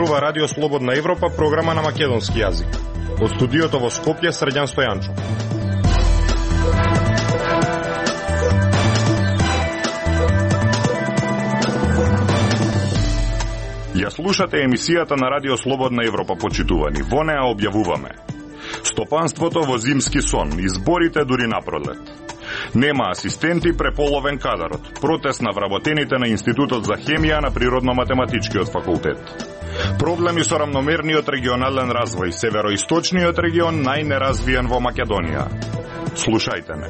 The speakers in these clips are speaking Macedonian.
зборува Радио Слободна Европа, програма на македонски јазик. Од студиото во Скопје, Срđan Стојанчо. Ја слушате емисијата на Радио Слободна Европа, почитувани. Во неа објавуваме: стопанството во зимски сон, изборите дури напролет. Нема асистенти, преполовен кадарот. Протест на вработените на Институтот за хемија на Природно-математичкиот факултет. Проблеми со рамномерниот регионален развој. Североисточниот регион најнеразвиен во Македонија. Слушајте ме.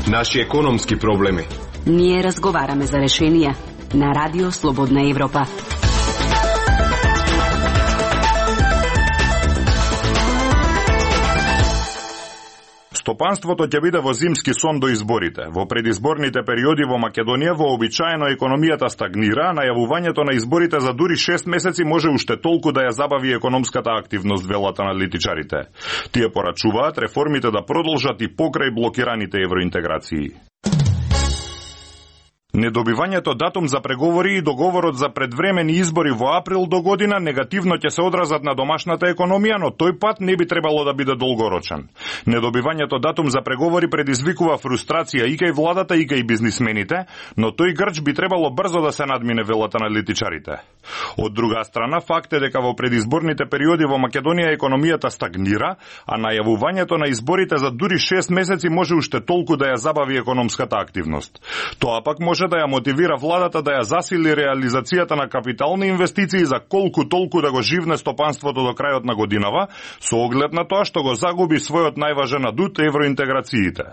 Наши економски проблеми. Ние разговараме за решенија на Радио Слободна Европа. Стопанството ќе биде во зимски сон до изборите. Во предизборните периоди во Македонија вообичаено економијата стагнира, а најавувањето на изборите за дури 6 месеци може уште толку да ја забави економската активност, велат аналитичарите. Тие порачуваат реформите да продолжат и покрај блокираните евроинтеграции. Недобивањето датум за преговори и договорот за предвремени избори во април до година негативно ќе се одразат на домашната економија, но тој пат не би требало да биде долгорочен. Недобивањето датум за преговори предизвикува фрустрација и кај владата и кај бизнисмените, но тој грч би требало брзо да се надмине, велат аналитичарите. Од друга страна, факт е дека во предизборните периоди во Македонија економијата стагнира, а најавувањето на изборите за дури 6 месеци може уште толку да ја забави економската активност. Тоа пак може да ја мотивира владата да ја засили реализацијата на капитални инвестиции за колку толку да го живне стопанството до крајот на годинава, со оглед на тоа што го загуби својот најважен адут евроинтеграциите.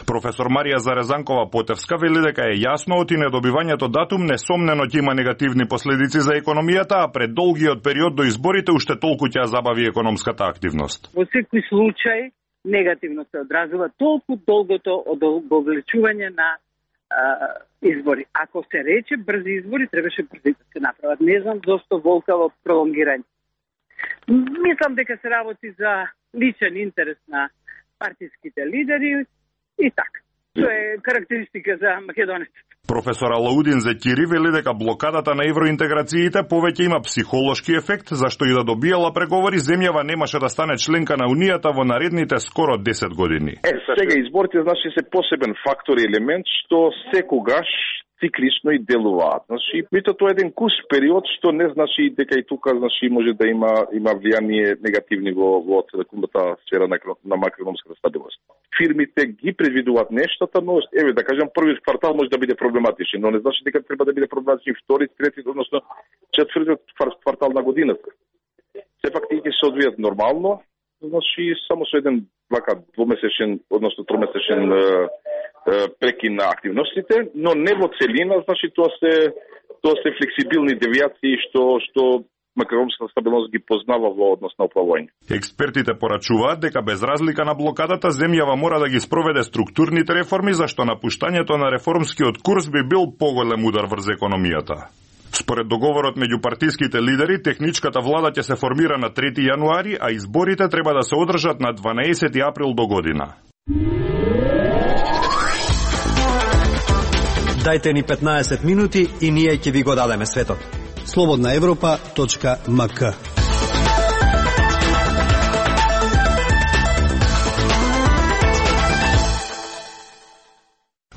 Професор Марија Зарезанкова-Потевска вели дека е јасно оти недобивањето датум несомнено ќе има негативни последици за економијата, а пред долгиот период до изборите уште толку ќе ја забави економската активност. Во секој случај негативно се одразува толку долгото одовлечување на избори. Ако се рече брзи избори, требаше брзи да се направат. Не знам зошто волкаво пролонгирање. Мислам дека се работи за личен интерес на партиските лидери и така. Тоа е карактеристика за македонеците. Професор Алаудин Зекири вели дека блокадата на евроинтеграциите повеќе има психолошки ефект, зашто и да добиела преговори, земјава немаше да стане членка на Унијата во наредните скоро 10 години. Сега изборите значи се посебен фактор и елемент што секогаш циклично и делуваат. Значи, тоа е еден кус период што не значи дека и тука значи може да има влијание негативни во целокупната сфера на макроекономската стабилност. Фирмите ги предвидуваат нештата, но еве да кажам првиот квартал може да биде проблематичен, но не значи дека треба да биде проблематичен втори, трети, односно четвртиот квартал на годината. Сепак тие се одвијат нормално, значи само со еден двомесечен, односно тромесечен прекин на активностите, но не во целина, значи тоа се флексибилни девијации што макроекономската стабилност ги познава во однос на управување. Експертите порачуваат дека без разлика на блокадата, земјава мора да ги спроведе структурните реформи, зашто напуштањето на реформскиот курс би бил поголем удар врз економијата. Според договорот меѓу партиските лидери, техничката влада ќе се формира на 3 јануари, а изборите треба да се одржат на 12 април до година. Дајте ни 15 минути и ние ќе ви го дадеме светот. slobodnaevropa.mk.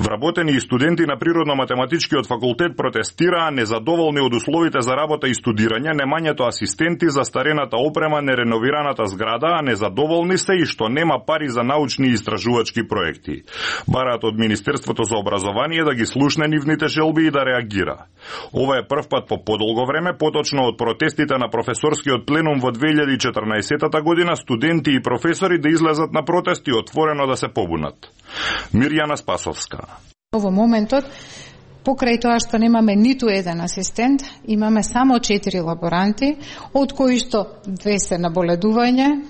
Вработени и студенти на Природно-математичкиот факултет протестираа незадоволни од условите за работа и студирање, немањето асистенти, застарената опрема, нереновираната зграда, а незадоволни се и што нема пари за научни и истражувачки проекти. Бараат од Министерството за образование да ги слушне нивните желби и да реагира. Ова е прв пат по подолго време, поточно од протестите на професорскиот пленум во 2014 година, студенти и професори да излезат на протест и отворено да се побунат. Мирјана Спасовска. Во моментот, покрај тоа што немаме ниту еден асистент, имаме само 4 лаборанти, од кои што 2 се на боледување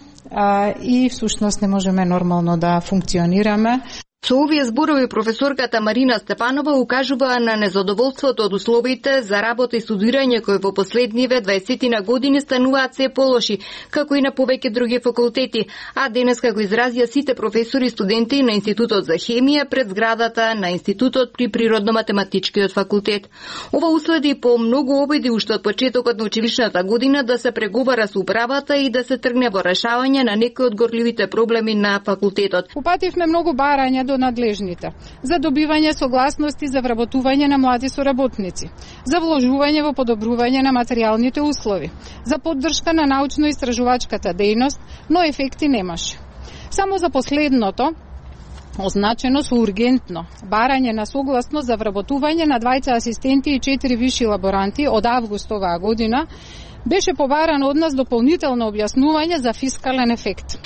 и всушност не можеме нормално да функционираме. Со овие зборови професорката Марина Степанова укажува на незадоволството од условите за работа и студирање кои во последниве 20 години стануваат се полоши, како и на повеќе други факултети, а денес како изразија сите професори и студенти на Институтот за хемија пред зградата на Институтот при Природно-математичкиот факултет. Ова уследи по многу обиди уште од почетокот на училишната година да се преговара со управата и да се тргне во решавање на некои од горливите проблеми на факултетот. Упативме многу барања до надлежните за добивање согласности за вработување на млади соработници, за вложување во подобрување на материјалните услови, за поддршка на научно-истражувачката дејност, но ефекти немаше. Само за последното, означено со ургентно барање на согласност за вработување на 2 асистенти и 4 виши лаборанти од август оваа година, беше побарано од нас дополнително објаснување за фискален ефект.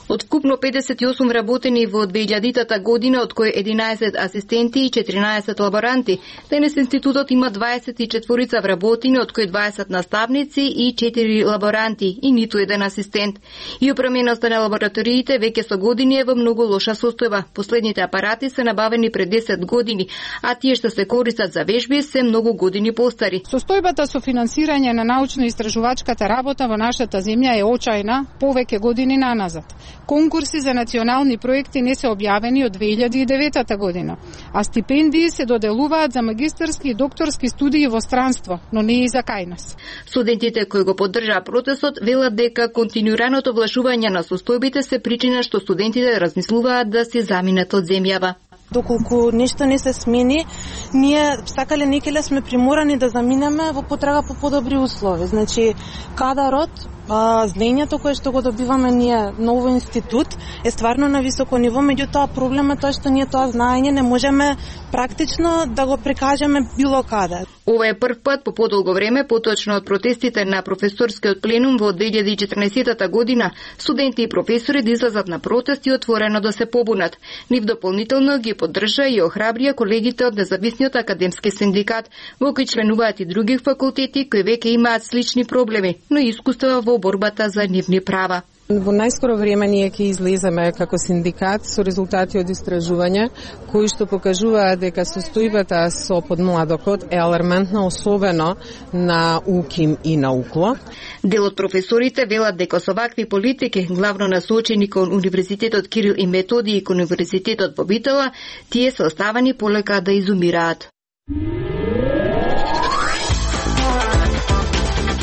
Од вкупно 58 работени во 2000-та година, од кои 11 асистенти и 14 лаборанти. Денес институтот има 24 вработени, од кои 20 наставници и 4 лаборанти и ниту еден асистент. И опременоста на лабораториите веќе со години е во многу лоша состојба. Последните апарати се набавени пред 10 години, а тие што се користат за вежби се многу години постари. Состојбата со финансирање на научно-истражувачката работа во нашата земја е очајна повеќе години наназад. Конкурси за национални проекти не се објавени од 2009 година, а стипендии се доделуваат за магистарски и докторски студии во странство, но не и за кај нас. Студентите кои го поддржаа протестот велат дека континуираното влашување на состојбите се причина што студентите размислуваат да се заминат од земјава. Доколку нешто не се смени, ние сакале некеле сме приморани да заминеме во потрага по подобри услови. Значи, кадарот, знаењето кое што го добиваме ние на овој институт е стварно на високо ниво, меѓутоа проблемот е тоа што ние тоа знаење не можеме практично да го прикажеме било каде. Ова е прв пат по подолго време, поточно од протестите на професорскиот пленум во 2014 година, студенти и професори да излезат на протест и отворено да се побунат. Нив дополнително ги поддржа и охрабрија колегите од Независниот академски синдикат, во кој членуваат и други факултети кои веќе имаат слични проблеми, но и искуства во борбата за нивни права. Во најскоро време ние ќе излеземе како синдикат со резултати од истражувања кои што покажуваат дека состојбата со подмладокот е алармантна, особено на УКИМ и на УКЛО. Дел од професорите велат дека со вакви политики, главно насочени кон Универзитетот Кирил и Методиј и кон Универзитетот во Битола, тие се оставани полека да изумираат.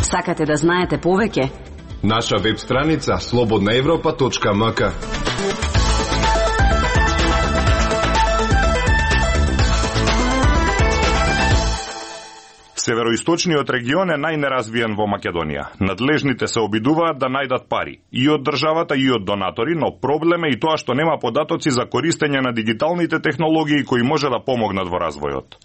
Сакате да знаете повеќе? Наша веб страница slobodnaevropa.mk. Североисточниот регион е најнеразвиен во Македонија. Надлежните се обидуваат да најдат пари и од државата и од донатори, но проблем е и тоа што нема податоци за користење на дигиталните технологии кои може да помогнат во развојот.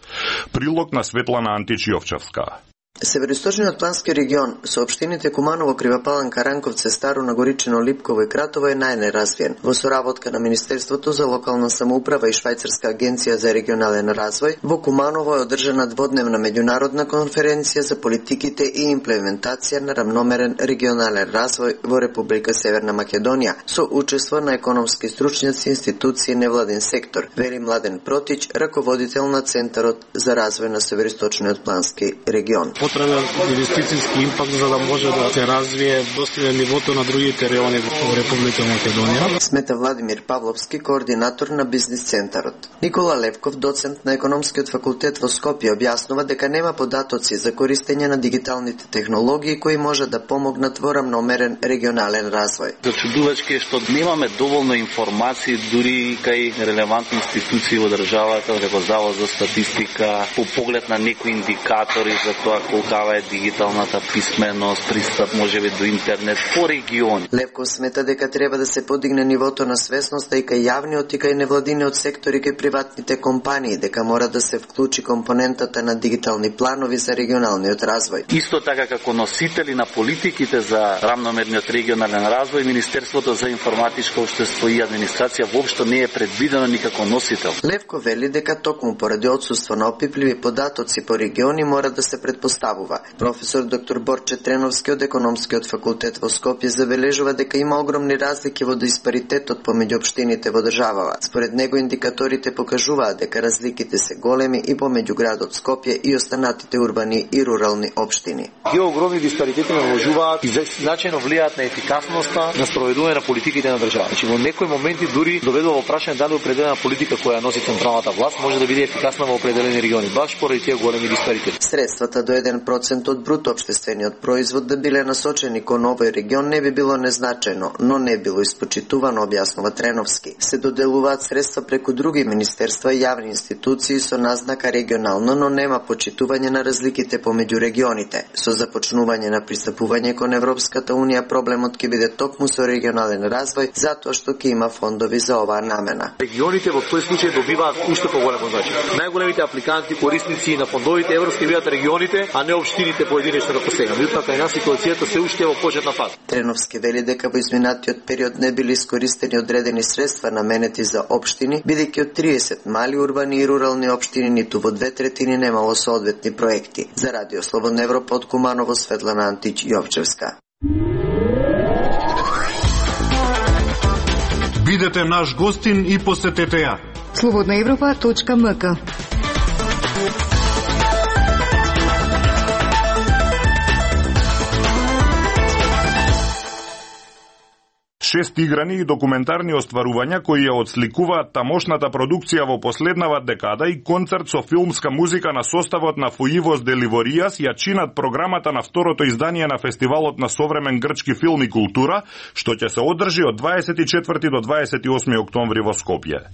Прилог на Светлана Античиовчевска. Североисточниот плански регион со општините Куманово, Кривопалан, Каранковце, Старо Нагоричино, Липково и Кратово е најнеразвиен. Во соработка на Министерството за локална самоуправа и Швајцарска агенција за регионален развој, во Куманово е одржана дводневна меѓународна конференција за политиките и имплементација на рамномерен регионален развој во Република Северна Македонија, со учество на економски стручњаци, институции, невладин сектор, вели Младен Протич, раководител на Центарот за развој на Североисточниот плански регион. Потребен инвестицијски импакт за да може да се развие достигне нивото на другите райони во Република Македонија. Смета Владимир Павловски, координатор на бизнис центарот. Никола Левков, доцент на економскиот факултет во Скопје, објаснува дека нема податоци за користење на дигиталните технологии кои може да помогнат во рамномерен регионален развој. Зачудувачки е што немаме доволно информации дури кај релевантни институции во државата, како Завод за статистика, по поглед на некои индикатори за тоа колкава е дигиталната писменост, пристап можеби до интернет по региони. Левков смета дека треба да се подигне нивото на свесноста и кај јавниот и кај невладиниот сектори кај приватните компании, дека мора да се вклучи компонентата на дигитални планови за регионалниот развој. Исто така како носители на политиките за рамномерниот регионален развој, Министерството за информатичко општество и администрација воопшто не е предвидено никако носител. Левков вели дека токму поради отсуство на опипливи податоци по региони мора да се предпостави представува. Професор доктор Борче Треновски од Економскиот факултет во Скопје забележува дека има огромни разлики во диспаритетот помеѓу општините во државава. Според него индикаторите покажуваат дека разликите се големи и помеѓу градот Скопје и останатите урбани и рурални општини. Тие огромни диспаритети наложуваат и значајно влијаат на ефикасноста на спроведување на политиките на држава. Значи во некои моменти дури доведува во прашање дали определена политика која носи централната власт може да биде ефикасна во определени региони, баш поради тие големи диспаритети. Средствата до 1% од бруто општествениот производ да биле насочени кон овој регион не би било незначајно, но не било испочитувано, објаснува Треновски. Се доделуваат средства преку други министерства и јавни институции со назнака регионално, но нема почитување на разликите помеѓу регионите. Со започнување на пристапување кон Европската унија, проблемот ќе биде токму со регионален развој, затоа што ќе има фондови за оваа намена. Регионите во тој случај добиваат уште поголемо значење. Најголемите апликанти, корисници на фондовите европски бидат регионите, а не општините поединечно како сега. Меѓутоа кај нас ситуацијата се уште во почетна фаза. Треновски вели дека во изминатиот период не били искористени одредени средства наменети за општини, бидејќи од 30 мали урбани и рурални општини ниту во 2/3 немало соодветни проекти. За Радио Слободна Европа од Куманово, Светлана Антич Јовчевска. Бидете наш гостин и посетете ја. slobodnaevropa.mk. 6 играни и документарни остварувања кои ја отсликуваат тамошната продукција во последнава декада и концерт со филмска музика на составот на Фуивос Деливоријас ја чинат програмата на второто издание на Фестивалот на современ грчки филм и култура, што ќе се одржи од 24 до 28 октомври во Скопје.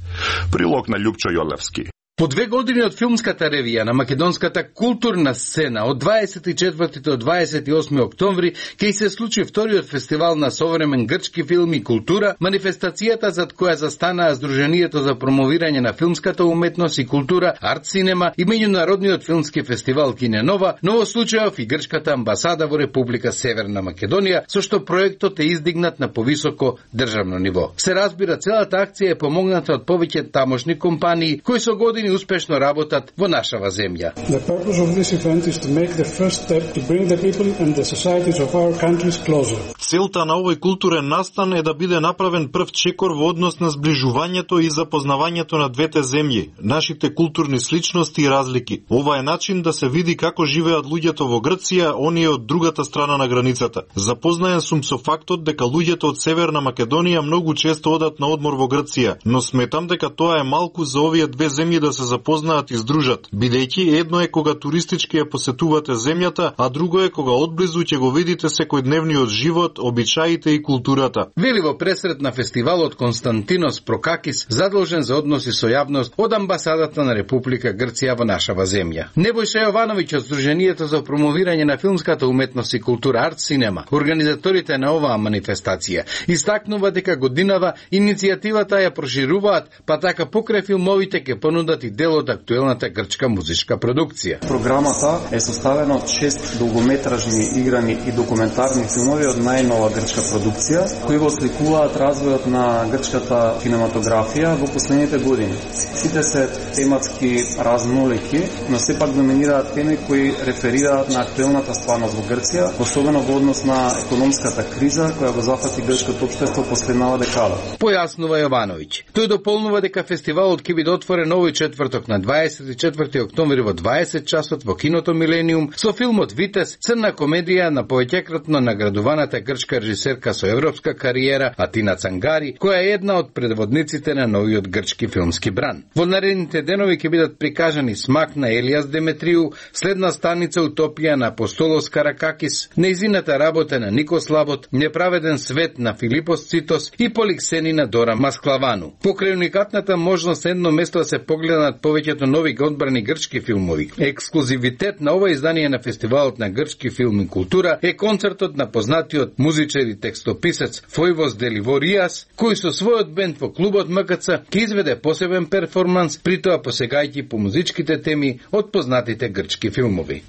Прилог на Љупчо Јолевски. По 2 години од филмската ревија на македонската културна сцена од 24 до 28 октомври ќе се случи вториот фестивал на современ грчки филм и култура, манифестацијата зад која застанаа Сдруженијето за промовирање на филмската уметност и култура Арт Синема и меѓународниот филмски фестивал Киненова, но во случајов и грчката амбасада во Република Северна Македонија, со што проектот е издигнат на повисоко државно ниво. Се разбира, целата акција е помогната од повеќе тамошни компании кои со години успешно работат во нашава земја. The purpose of this event is to make the first step to bring the people and the societies of our countries closer. Целта на овој културен настан е да биде направен прв чекор во однос на зближувањето и запознавањето на двете земји, нашите културни сличности и разлики. Ова е начин да се види како живеат луѓето во Грција, оние од другата страна на границата. Запознаен сум со фактот дека луѓето од Северна Македонија многу често одат на одмор во Грција, но сметам дека тоа е малку за овие две земји да се запознаат и здружат, бидејќи едно е кога туристички ја посетувате земјата, а друго е кога одблизу ќе го видите секојдневниот живот, обичаите и културата. Вели во пресрет на фестивалот Константинос Прокакис, задолжен за односи со јавност од амбасадата на Република Грција во нашава земја. Небојша Јовановиќ од Сдруженијето за промовирање на филмската уметност и култура Арт Синема, организаторите на оваа манифестација, истакнува дека годинава иницијативата ја прошируваат, па така покрај филмовите ќе понудат и дел од актуелната грчка музичка продукција. Програмата е составена од 6 долгометражни играни и документарни филмови од најнова грчка продукција, кои го сликуваат развојот на грчката кинематографија во последните години. Сите се тематски разнолики, но сепак доминираат теми кои реферираат на актуелната стварност во Грција, особено во однос на економската криза која го зафати грчкото општество последнава декада. Појаснува Јовановиќ. Тој дополнува дека фестивалот ќе биде отворен овој четврток на 24 октомври во 20 часот во киното Милениум со филмот Витес, црна комедија на повеќекратно наградуваната грчка режисерка со европска кариера Атина Цангари, која е една од предводниците на новиот грчки филмски бран. Во наредните денови ќе бидат прикажани Смак на Елијас Деметриу, Следна станица Утопија на Апостолос Каракакис, Неизината работа на Никос Лабот, Неправеден свет на Филипос Цитос и Поликсени на Дора Масклавану. Покрај уникатната можност едно место да се погледнат повеќето нови одбрани грчки филмови. Ексклузивитет на ова издание на Фестивалот на грчки филм и култура е концертот на познатиот музичар и текстописец Фуивос Деливоријас, кој со својот бенд во клубот МКЦ ќе изведе посебен перформанс, притоа посегајќи по музичките теми од познатите грчки филмови.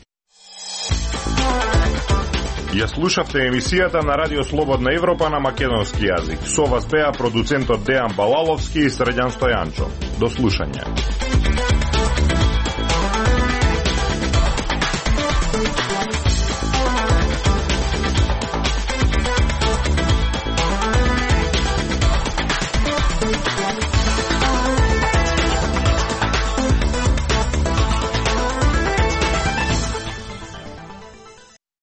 Ја слушавте емисијата на Радио Слободна Европа на македонски јазик. Со вас беа продуцентот Дејан Балаловски и Срđan Стојанчо. До слушање.